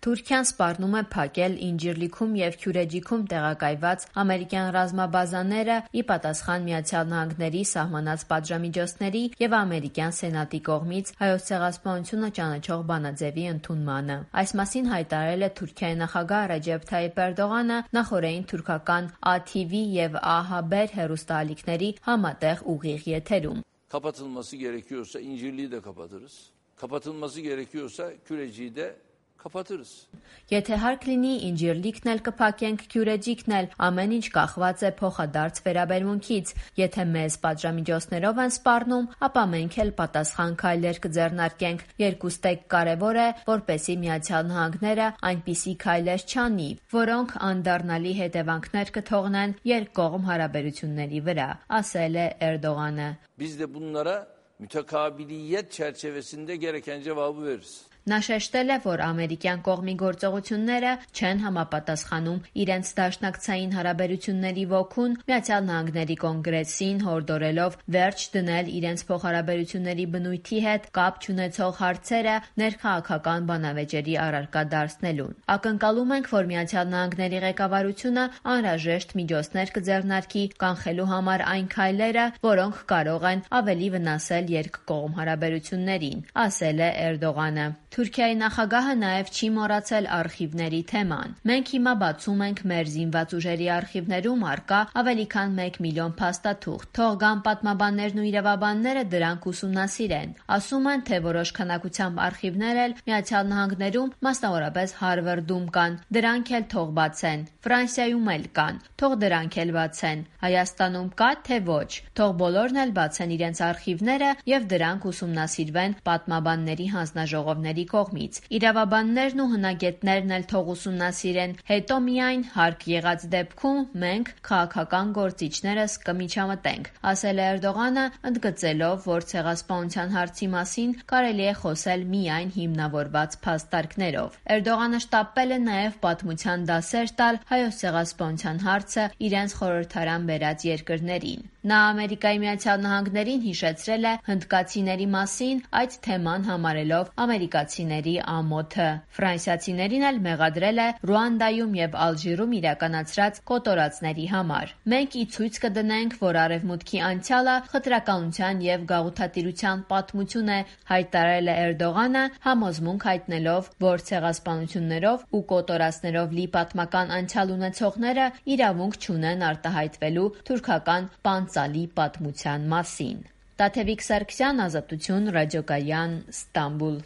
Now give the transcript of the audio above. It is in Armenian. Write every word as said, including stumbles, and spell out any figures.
Թուրքիան սպառնում է փակել Ինջիրլիքում և Քյուրեջիքում տեղակայված ամերիկյան ռազմաբազաները՝ ի պատասխան Միացյալ Նահանգների սահմանած պատժամիջոցների և ամերիկյան Սենատի կողմից Հայոց ցեղասպանությունը ճանաչող բանաձևի ընդունմանը։ Այս մասին հայտարարել է Թուրքիայի նախագահ Ռեջեփ Թայիփ Էրդողանը նախօրեին թուրքական Ա Թի Վի և Ա Հաբեր հեռուստաալիքների համատեղ ուղիղ եթերում։ Kapatılması gerekiyorsa İncirli'yi de kapatırız. Kapatılması gerekiyorsa Küreci'yi de kapatırız. Եթե հարկ լինի, Ինջիրլիքն էլ կփակենք, Քյուրեջիքն էլ, ամեն ինչ կախված է փոխադարձ վերաբերմունքից։ Եթե մեզ պատժամիջոցներով են սպառնում, ապա մենք էլ պատասխան քայլեր կձեռնարկենք։ Երկուստեք կարևոր է, որպեսզի Միացյալ Նահանգները այնպիսի քայլեր չանի, որոնք անդառնալի հետևանքներ կթողնեն երկկողմ հարաբերությունների վրա, ասել է Էրդողանը։ Biz de bunlara mütekabiliyet çerçevesinde gereken cevabı veririz. Նա շեշտել է, որ ամերիկյան կողմի գործողությունները չեն համապատասխանում իրենց դաշնակցային հարաբերությունների ոգուն, Միացյալ Նահանգների կոնգրեսին հորդորելով վերջ դնել իրենց փոխհարաբերությունների բնույթի հետ կապ չունեցող հարցերը ներքաղաքական բանավեճերի առարկա դարձնելուն։ Ակնկալում ենք, որ Միացյալ Նահանգների ղեկավարությունը անհրաժեշտ միջոցներ կձեռնարկի կանխելու համար այն քայլերը, որոնք կարող են ավելի վնասել երկկողմ հարաբերություններին, ասել է Էրդողանը։ Թուրքիայի նախագահը նաև չի մոռացել արխիվների թեման։ Մենք հիմա բացում ենք մեր զինված ուժերի արխիվներում առկա ավելի քան մեկ միլիոն փաստաթուղթ։ Թող գան պատմաբաններն ու իրավաբանները դրանք ուսումնասիրեն։ Ասում են, թե որոշ քանակությամբ արխիվներ էլ Միացյալ Նահանգներում, մասնավորապես Հարվարդում կան։ Դրանք էլ թող բացեն։ Ֆրանսիայում էլ կան։ Թող դրանք էլ բացեն։ Հայաստանում կա, թե ոչ։ Թող բոլորն էլ բացեն իրենց արխիվները եւ դրանք ուսումնասիրվեն պատմաբանների հանձնաժողովների կողմից։ Իրավաբաններն ու հնագետներն էլ թող ուսումնասիրեն, հետո միայն հարկ եղած դեպքում մենք քաղաքական գործիչներս կմիջամտենք, ասել է Էրդողանը, ընդգծելով, որ ցեղասպանության հարցի մասին կարելի է խոսել միայն հիմնավորված փաստարկներով։ Էրդողանը շտապել է նաև պատմության դասեր տալ Հայոց ցեղասպանության հարցը իրենց խորհրդարան բերած երկրներին։ Նա Ամերիկայի Միացյալ Նահանգներին հիշեցրել է հնդկացիների մասին, այդ թեման համարելով ամերիկացիների ամոթը։ Ֆրանսիացիներին էլ մեղադրել է Ռուանդայում եւ Ալժիրում իրականացրած կոտորածների համար։ Մենք ի ցույց կդնենք, որ Արևմուտքի անցյալը խտրականության եւ գաղութատիրության պատմություն է, հայտարարել է Էրդողանը, համոզմունք հայտնելով, որ ցեղասպանություններով ու կոտորածներով լի պատմական անցյալ ունեցողները իրավունք չունեն արտահայտվելու թուրքական պանծալի պատմության մասին։ Տաթևիկ Սարգսյան, Ազատություն, Ռադիոկայան, Ստամբուլ։